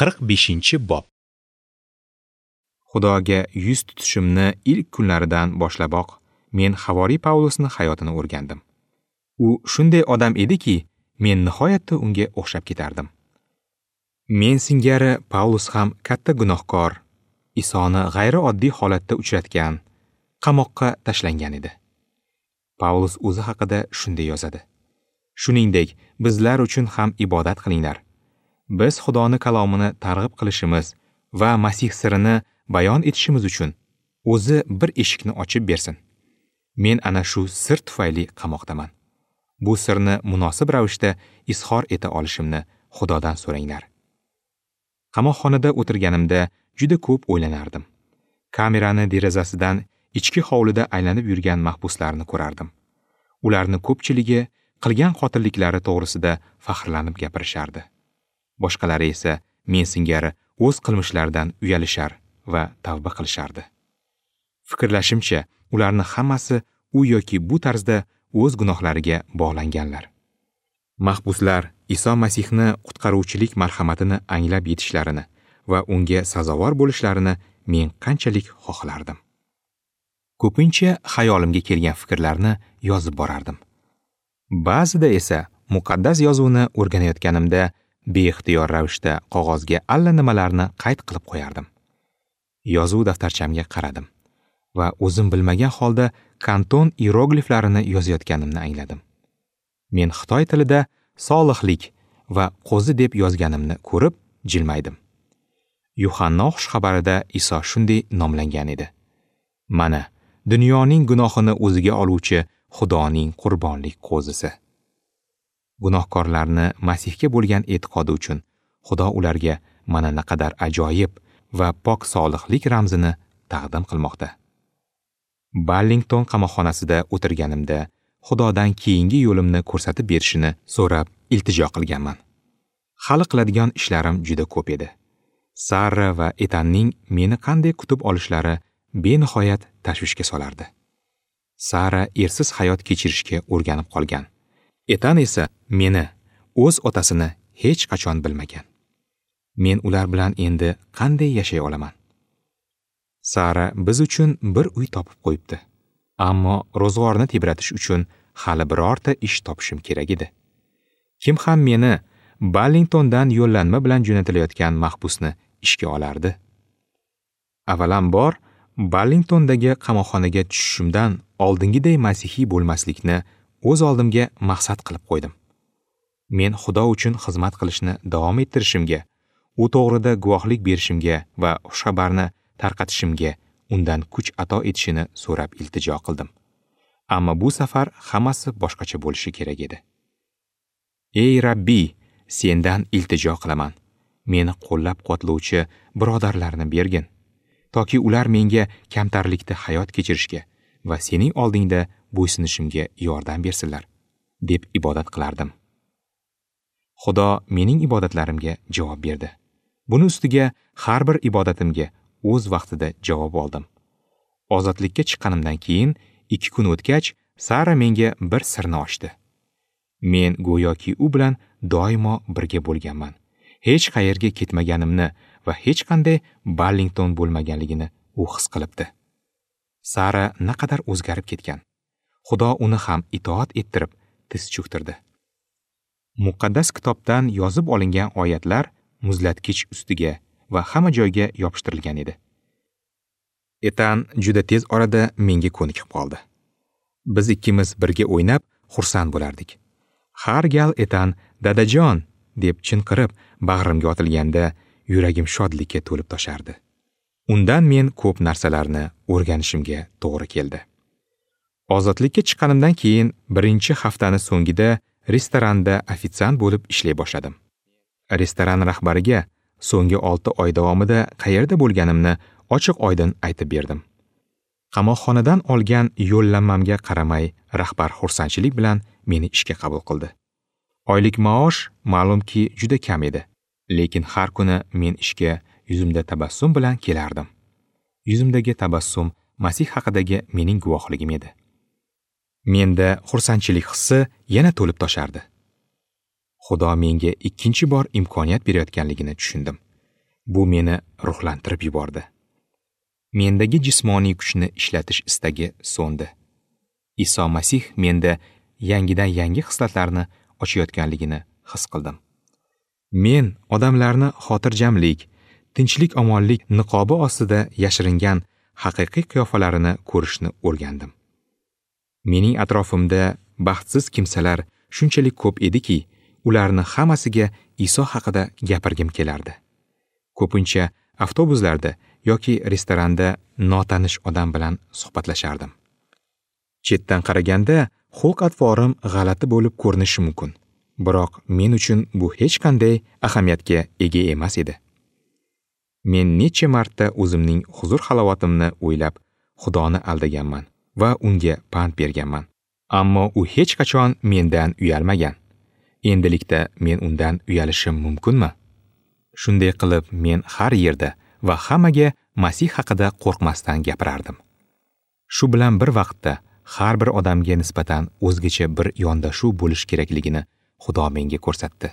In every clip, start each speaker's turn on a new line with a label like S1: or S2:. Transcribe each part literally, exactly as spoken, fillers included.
S1: Qirq beshinchi bob.
S2: Xudoga yuz tutishimni ilk kunlaridan boshlaboq men havoriy Pavlusni hayotini o'rgandim. U shunday odam ediki, men nihoyatda unga o'xshab ketardim. Men singari Pavlus ham katta gunohkor, Isoni g'ayrioddiy holatda uchratgan, qamoqqa tashlangan edi. Pavlus o'zi haqida shunday yozadi: Shuningdek, bizlar uchun ham ibodat qilinglar. Biz Xudoni kalomini targ'ib qilishimiz va Masih sirini bayon etishimiz uchun o'zi bir eshikni ochib bersin. Men ana shu sir tufayli qamoqdaman. Bu sirni munosib ravishda izhor eta olishimni Xudodan so'ranglar. Qamoqxonada o'tirganimda juda ko'p o'ylanardim. Kamerani derazasidan ichki hovlida aylanib yurgan mahbuslarni ko'rardim. Ularni ko'pchiligi qilgan qotilliklari to'g'risida faxrlanib gapirishardi. Boshqalari esa men singari o'z qilmishlaridan uyalishar va tavba qilishardi. Fikrlashimcha, ularni hammasi u yoki bu tarzda o'z gunohlariga bog'langanlar. Mahbuslar Iso Masihni qutqaruvchilik marhamatini anglab yetishlarini va unga sazovor bo'lishlarini men qanchalik xohlardim. Ko'pincha xayolimga kelgan fikrlarni yozib borardim. Ba'zida esa muqaddas yozuvni o'rganayotganimda beixtiyor ravishda qog'ozga allanimalarni qayd qilib qo'yardim. Yozuv daftarchamga qaradim va o'zim bilmagan holda kanton iyerogliflarini yozayotganimni angladim. Men xitoy tilida solihlik va qo'zi deb yozganimni ko'rib jilmaydim. Yuhanno xushxabarida Iso shunday nomlangan edi: Mana, dunyoning gunohini o'ziga oluvchi Xudoning qurbonlik qo'zisi. Gunohkorlarni Masihga bo'lgan e'tiqodi uchun Xudo ularga mana naqadar ajoyib va pok solihlik ramzini taqdim qilmoqda. Ballington qamoqxonasida o'tirganimda Xudodan keyingi yo'limni ko'rsatib berishini so'rab iltijo qilganman. Hali qiladigan ishlarim juda ko'p edi. Sara va Etanning meni qanday kutib olishlari benihoyat tashvishga solardi. Sara ersiz hayot kechirishga o'rganib qolgan. Etan esa meni, o'z otasini hech qachon bilmagan. Men ular bilan endi qanday yashay olaman? Sara biz uchun bir uy topib qo'yibdi. Ammo ro'zg'orni tebratish uchun hali birorta ish topishim kerak edi. Kim ham meni Ballingtondan yo'llanma bilan jo'natilayotgan mahbusni ishga olardi? Avvalambor, Ballingtondagi qamoqxonaga tushishimdan oldingiday masihiy bo'lmaslikni o'z oldimga maqsad qilib qo'ydim. Men Xudo uchun xizmat qilishni davom ettirishimga, u to'g'rida guvohlik berishimga va xushxabarni tarqatishimga undan kuch ato etishini so'rab iltijo qildim. Ammo bu safar hammasi boshqacha bo'lishi kerak edi. Ey Rabbiy, sendan iltijo qilaman. Meni qo'llab-quvvatlovchi birodarlarni bergin, toki ular menga kamtarlikda hayot kechirishga va sening oldingda bo'ysunishimga yordam bersinlar, deb ibodat qilardim. Xudo mening ibodatlarimga javob berdi. Buni ustiga har bir ibodatimga o'z vaqtida javob oldim. Ozodlikka chiqqanimdan keyin ikki kun o'tgach, Sara menga bir sirni ochdi. Men go'yoki u bilan doimo birga bo'lganman. Hech qayerga ketmaganimni va hech qanday Ballington bo'lmaganligini u his qilibdi. Sara naqadar o'zgarib ketgan. Xudo uni ham itoat ettirib, tiz cho'ktirdi. Muqaddas kitobdan yozib olingan oyatlar muzlatkich ustiga va hamma joyga yopishtirilgan edi. Etan juda tez orada menga ko'nikib qoldi. Biz ikkimiz birga o'ynab, xursand bo'lardik. Har gal Etan "Dadajon" deb chinqirib bag'rimga otilganda yuragim shodlikka to'lib toshardi. Undan men ko'p narsalarni o'rganishimga to'g'ri keldi. Ozodlikka chiqqanimdan keyin birinchi haftani so'ngida restoranda ofitsiant bo'lib ishlay boshladim. Restoran rahbariga so'nggi olti oy davomida qayerda bo'lganimni ochiq-oydin aytib berdim. Qamoqxonadan olgan yo'llanmamga qaramay rahbar xursandchilik bilan meni ishga qabul qildi. Oylik maosh ma'lumki juda kam edi, lekin har kuni men ishga yuzimda tabassum bilan kelardim. Yuzimdagi tabassum Masih haqidagi mening guvohligim edi. Menda xursandchilik hissi yana to'lib toshardi. Xudo menga ikkinchi bor imkoniyat berayotganligini tushundim. Bu meni ruhlantirib yubordi. Mendagi jismoniy kuchni ishlatish istagi so'ndi. Iso Masih menda yangidan yangi xislatlarni ochayotganligini his qildim. Men odamlarni xotirjamlik, tinchlik omonlik niqobi ostida yashiringan haqiqiy qiyofalarini ko'rishni o'rgandim. Mening atrofimda baxtsiz kimsalar shunchalik ko'p ediki, ularni hammasiga Iso haqida gapirgim kelardi. Ko'pincha avtobuslarda yoki restoranda notanish odam bilan suhbatlashardim. Chetdan qaraganda xulq-atvorim g'alati bo'lib ko'rinishi mumkin, biroq men uchun bu hech qanday ahamiyatga ega emas edi. Men necha marta o'zimning huzur-halovatimni o'ylab Xudoni aldaganman va unga pand berganman. Ammo u hech qachon mendan uyalmagan. Endilikda men undan uyalishim mumkinmi? Shunday qilib men har yerda va hammaga Masih haqida qo'rqmasdan gapirardim. Shu bilan bir vaqtda har bir odamga nisbatan o'zgacha bir yondashuv bo'lish kerakligini Xudo menga ko'rsatdi.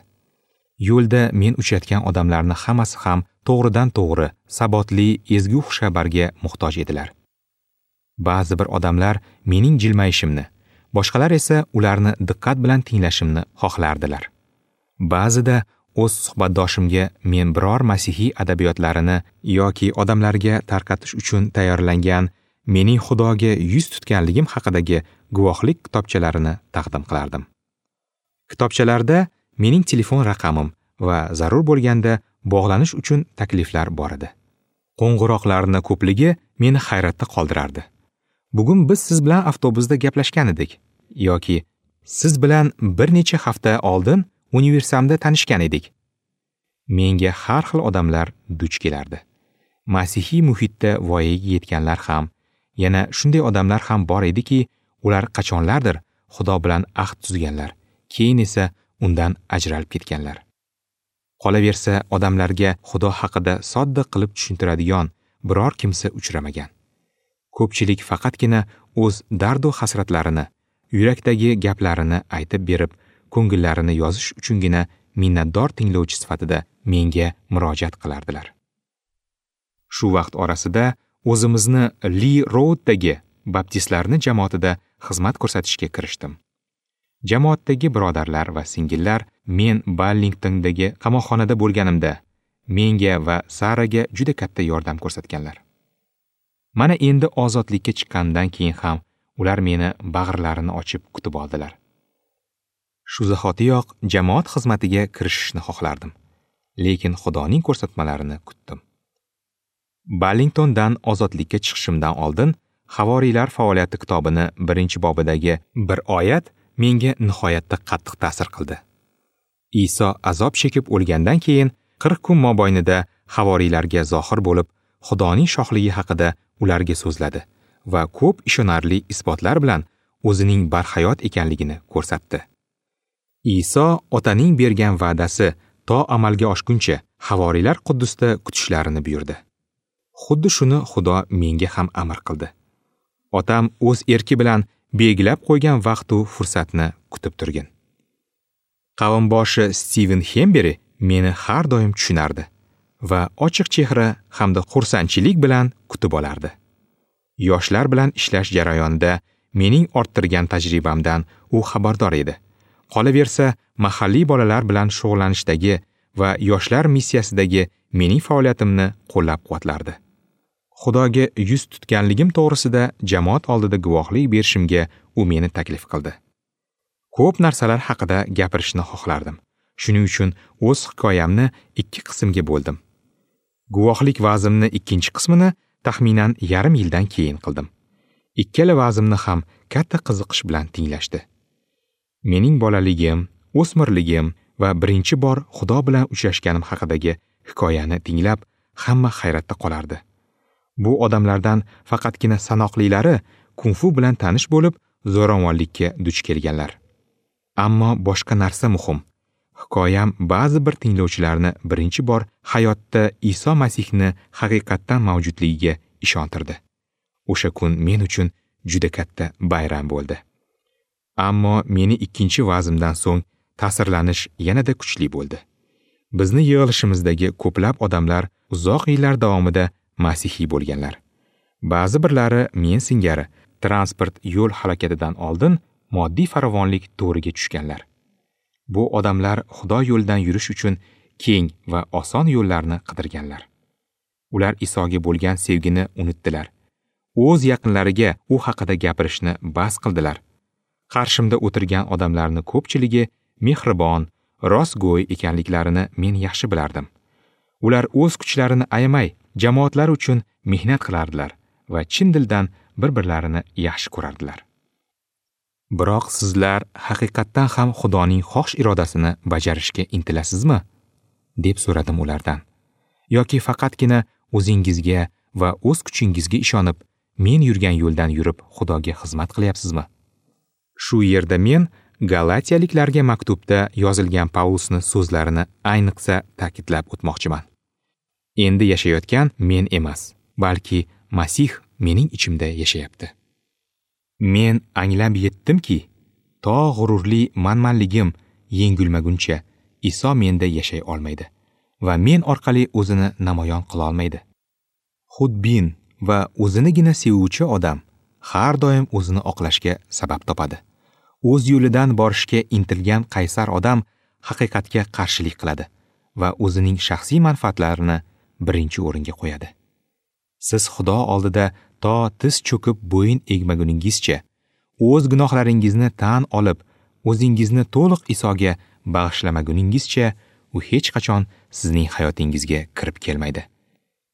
S2: Yo'lda men uchratgan odamlarni hammasi ham to'g'ridan to'g'ri, sabotli ezgu xushxabarga muhtoj edilar. Ba'zi bir odamlar mening jilmayishimni, boshqalar esa ularni diqqat bilan tinglashimni xohlardilar. Ba'zida o'z suhbatdoshimga men biror masihiy adabiyotlarini yoki odamlarga tarqatish uchun tayyorlangan mening Xudoga yuz tutganligim haqidagi guvohlik kitobchalarini taqdim qilardim. Kitobchalarda mening telefon raqamim va zarur bo'lganda bog'lanish uchun takliflar bor edi. Qo'ng'iroqlarning ko'pligi meni hayratda qoldirardi. Bugun biz siz bilan avtobusda gaplashgan edik yoki siz bilan bir necha hafta oldin universamda tanishgan edik. Menga har xil odamlar duch kelardi. Masihiy muhitda voyaga yetganlar ham, yana shunday odamlar ham bor ediki, ular qachonlardir Xudo bilan ahd tuzganlar, keyin esa undan ajralib ketganlar. Qolaversa, odamlarga Xudo haqida sodda qilib tushuntiradigan biror kimsa uchramagan. Ko'pchilik faqatgina o'z dardu hasratlarini, yurakdagi gaplarini aytib berib, ko'ngillarini yozish uchungina minnatdor tinglovchi sifatida menga murojaat qilardilar. Shu vaqt orasida o'zimizni Li Rouddagi baptistlarning jamoatida xizmat ko'rsatishga kirishdim. Jamoatdagi birodarlar va singillar men Ballingtondagi qamoqxonada bo'lganimda menga va Saraga juda katta yordam ko'rsatganlar. Mana endi ozodlikka chiqqandan keyin ham ular meni bag'irlarini ochib kutib oldilar. Shu zahotiyoq jamoat xizmatiga kirishishni xohlardim, lekin Xudoning ko'rsatmalarini kutdim. Ballingtondan ozodlikka chiqishimdan oldin Havoriylar faoliyati kitobini birinchi bobidagi bir oyat menga nihoyatda qattiq ta'sir qildi. Iso azob chekib o'lgandan keyin qirq kun mobaynida havoriylarga zohir bo'lib, Xudoning shohligi haqida ularga so'zladi va ko'p ishonarli isbotlar bilan o'zining barhayot ekanligini ko'rsatdi. Iso otaning bergan va'dasi to amalga oshguncha havoriylar Quddusda kutishlarini buyurdi. Xuddi shuni Xudo menga ham amr qildi. Otam o'z erki bilan belgilab qo'ygan vaqt u fursatni kutib turgin. Qavmboshi Steven Hemberi meni har doim tushunardi va ochiq chehra hamda xursandchilik bilan kutib olardi. Yoshlar bilan ishlash jarayonida mening orttirgan tajribamdan u xabardor edi. Qolaversa, mahalliy bolalar bilan shug'ullanishdagi va yoshlar missiyasidagi mening faoliyatimni qo'llab-quvvatlardi. Xudoga yuz tutganligim to'g'risida jamoat oldida guvohlik berishimga u meni taklif qildi. Ko'p narsalar haqida gapirishni xohlardim. Shuning uchun o'z hikoyamni ikki qismga bo'ldim. Guvohlik va'zimni ikkinchi qismini taxminan yarim yildan keyin qildim. Ikkala va'zimni ham katta qiziqish bilan tinglashdi. Mening bolaligim, o'smirligim va birinchi bor Xudo bilan uchrashganim haqidagi hikoyani tinglab hamma hayratda qolardi. Bu odamlardan faqatgina sanoqlilari kung-fu bilan tanish bo'lib, zo'ravonlikka duch kelganlar. Ammo boshqa narsa muhim. Hikoyam ba'zi bir tinglovchilarni birinchi bor hayotda Iso Masihni haqiqatdan mavjudligiga ishontirdi. O'sha kun men uchun juda katta bayram bo'ldi. Ammo meni ikkinchi va'zimdan so'ng ta'sirlanish yanada kuchli bo'ldi. Bizni yig'ilishimizdagi ko'plab odamlar uzoq yillar davomida masihiy bo'lganlar. Ba'zi birlari men singari transport yo'l halokatidan oldin moddiy farovonlik to'riga tushganlar. Bu odamlar Xudo yo'lidan yurish uchun keng va oson yo'llarni qidirganlar. Ular Isoga bo'lgan sevgini unutdilar. O'z yaqinlariga u haqida gapirishni bas qildilar. Qarshimda o'tirgan odamlarning ko'pchiligi mehribon, rostgo'y ekanliklarini men yaxshi bilardim. Ular o'z kuchlarini ayamay, jamoatlar uchun mehnat qilardilar va chin dildan bir-birlarini yaxshi ko'rardilar. Biroq sizlar haqiqatdan ham Xudoning xohish irodasini bajarishga intilasizmi? Deb so'radim ulardan. Yoki faqatgina o'zingizga va o'z kuchingizga ishonib, men yurgan yo'ldan yurib Xudoga xizmat qilyapsizmi? Shu yerda men Galatiyaliklarga maktubda yozilgan Pavlusning so'zlarini ayniqsa ta'kidlab o'tmoqchiman. Endi yashayotgan men emas, balki Masih mening ichimda yashayapti. Men anglab yetdimki, to g'ururli manmanligim yengilmaguncha Iso menda yashay olmaydi va men orqali o'zini namoyon qila olmaydi. Xudbin va o'zinigina sevuvchi odam har doim o'zini oqlashga sabab topadi. O'z yo'lidan borishga intilgan qaysar odam haqiqatga qarshilik qiladi va o'zining shaxsiy manfaatlarini birinchi o'ringa qo'yadi. Siz Xudo oldida to tiz cho'kib bo'yin egmaguningizcha, o'z gunohlaringizni tan olib, o'zingizni to'liq Isoga bag'ishlamaguningizcha, u hech qachon sizning hayotingizga kirib kelmaydi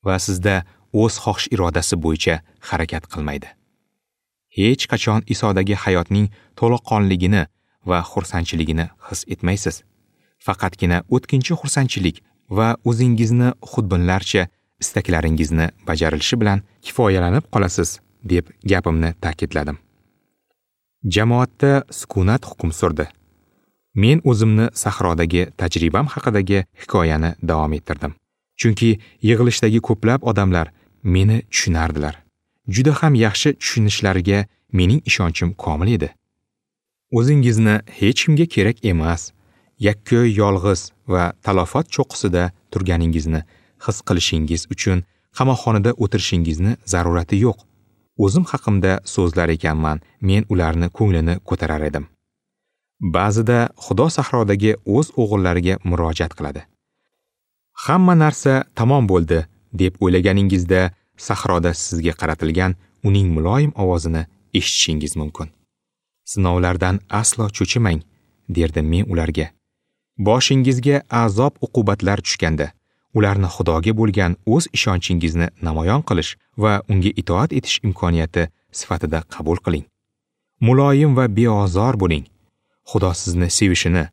S2: va sizda o'z xohish irodasi bo'yicha harakat qilmaydi. Hech qachon Isodagi hayotning to'laqonligini va xursandchiligini his etmaysiz. Faqatgina o'tkinchi xursandchilik va o'zingizni xudbinlarcha istaklaringizni bajarilishi bilan kifoyalanib qolasiz, deb gapimni ta'kidladim. Jamoatda sukunat hukm surdi. Men o'zimni sahrodagi tajribam haqidagi hikoyani davom ettirdim. Chunki yig'ilishdagi ko'plab odamlar meni tushunardilar. Juda ham yaxshi tushunishlariga mening ishonchim komil edi. O'zingizni hech kimga kerak emas, yakka yolg'iz va talofat cho'qqisida turganingizni his qilishingiz uchun qamoqxonada o'tirishingizni zarurati yo'q. O'zim haqimda so'zlar ekanman, men ularni ko'nglini ko'tarar edim. Ba'zida Xudo sahrodagi o'z o'g'illariga murojaat qiladi. Hamma narsa tamom bo'ldi deb o'ylaganingizda sahroda sizga qaratilgan uning muloyim ovozini eshitishingiz mumkin. Sinovlardan aslo cho'chimang, derdim men ularga. Boshingizga azob uqubatlar tushganda, ularni Xudoga bo'lgan o'z ishonchingizni namoyon qilish va unga itoat etish imkoniyati sifatida qabul qiling. Muloyim va beozor bo'ling. Xudo sizni sevishini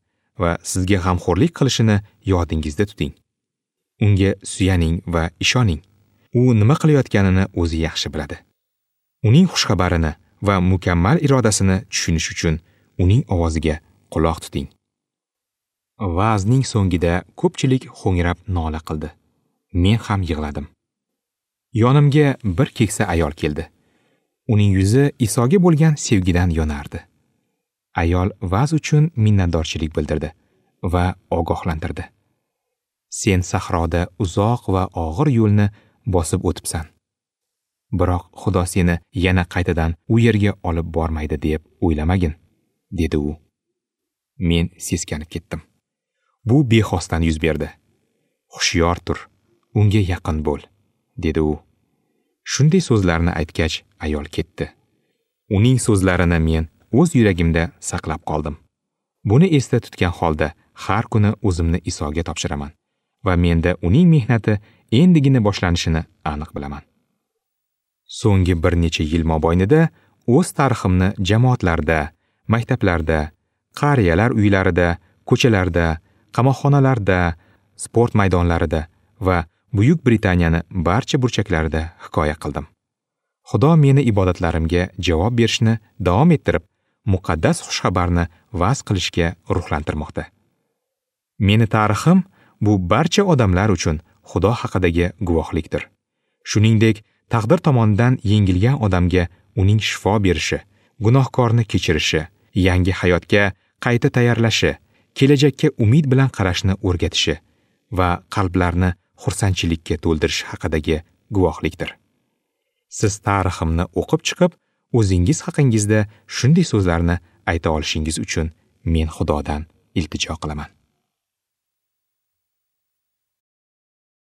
S2: va sizga g'amxo'rlik qilishini yodingizda tuting. Unga suyaning va ishoning. U nima qilayotganini o'zi yaxshi biladi. Uning xushxabarini va mukammal irodasini tushunish uchun uning ovoziga quloq tuting. Va'zning so'ngida ko'pchilik ho'ngrab nola qildi. Men ham yig'ladim. Yonimga bir keksa ayol keldi. Uning yuzi Isoga bo'lgan sevgidan yonardi. Ayol va'z uchun minnatdorchilik bildirdi va ogohlantirdi. Sen sahroda uzoq va og'ir yo'lni bosib o'tibsan. Biroq Xudo seni yana qaytadan u yerga olib bormaydi deb o'ylamagin, dedi u. Men seskanib ketdim. Bu bexosdan yuz berdi. Hushyor tur, unga yaqin bo'l, dedi u. Shunday so'zlarni aytgach, ayol ketdi. Uning so'zlarini men o'z yuragimda saqlab qoldim. Buni esda tutgan holda har kuni o'zimni Isoga topshiraman va menda uning mehnati endigina boshlanishini aniq bilaman. So'nggi bir necha yil mobaynida o'z tariximni jamoatlarda, maktablarda, qariyalar uylarida, ko'chalarda, qamoqxonalarda, sport maydonlarida va Buyuk Britaniyani barcha burchaklarida hikoya qildim. Xudo meni ibodatlarimga javob berishni davom ettirib, muqaddas xushxabarni va'z qilishga ruhlantirmoqda. Meni tarixim bu barcha odamlar uchun Xudo haqidagi guvohlikdir. Shuningdek, taqdir tomonidan yengilgan odamga uning shifo berishi, gunohkorni kechirishi, yangi hayotga qayta tayyorlashi, kelajakka umid bilan qarashni o'rgatishi va qalblarni xursandchilikka to'ldirish haqidagi guvohlikdir. Siz tariximni o'qib chiqib, o'zingiz haqingizda shunday so'zlarni ayta olishingiz uchun men Xudodan iltijo qilaman.